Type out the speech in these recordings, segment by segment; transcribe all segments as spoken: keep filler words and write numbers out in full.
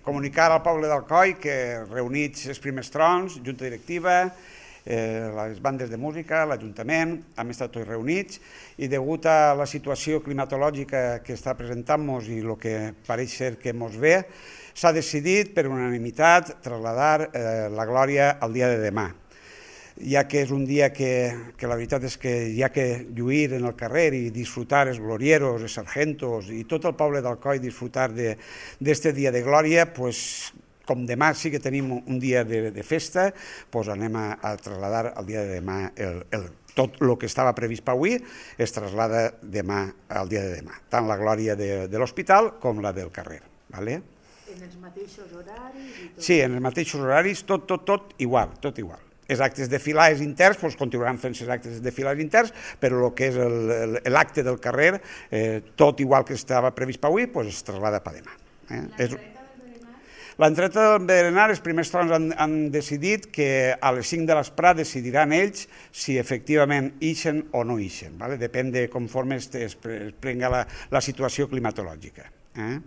Comunicar al poble d'Alcoi que reunits els primers trons, junta directiva, eh, les bandes de música, l'Ajuntament, hem estat tots reunits i degut a la situació climatològica que està presentant-nos i el que pareix ser que ens ve, s'ha decidit per unanimitat traslladar eh, la glòria al dia de demà, ja que és un dia que, que la veritat és que hi ha que lluir en el carrer i disfrutar els glorieros, els sargentos i tot el poble d'Alcoi disfrutar d'aquest dia de glòria, pues, com demà sí que tenim un dia de, de festa, pues anem a, a traslladar al dia de demà el, el, tot el que estava previst per avui es traslada demà al dia de demà, tant la glòria de, de l'hospital com la del carrer. Vale? En els mateixos horaris? I tot. Sí, en els mateixos horaris, tot, tot, tot igual, tot igual. Els actes de filades interns doncs, continuaran fent els actes de filades interns, però el que és l'acte del carrer, eh, tot igual que estava previst per avui, doncs es traslada per demà. Eh? L'entreta del berenar, els primers trons han, han decidit que a les cinc de l'esprà decidiran ells si efectivament ixen o no ixen, ¿vale? Depèn de conforme es, es prenga la, la situació climatològica. Eh?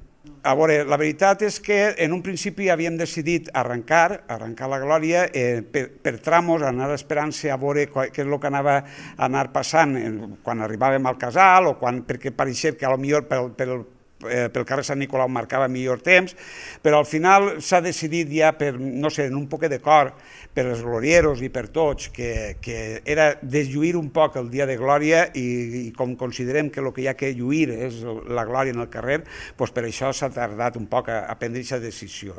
A veure, la veritat és que en un principi havíem decidit arrencar, arrencar la glòria eh, per, per tramos, anar esperant-se a veure què és el que anava a anar passant quan arribàvem al casal o quan, perquè pareixia que potser pel, pel, eh, pel carrer Sant Nicolau marcava millor temps, però al final s'ha decidit ja per, no sé, en un poquet de cor, per els glorieros i per tots, que, que era deslluir un poc el dia de glòria i, i com considerem que el que hi ha que lluir és la glòria en el carrer, doncs per això s'ha tardat un poc a, a prendre aquesta decisió.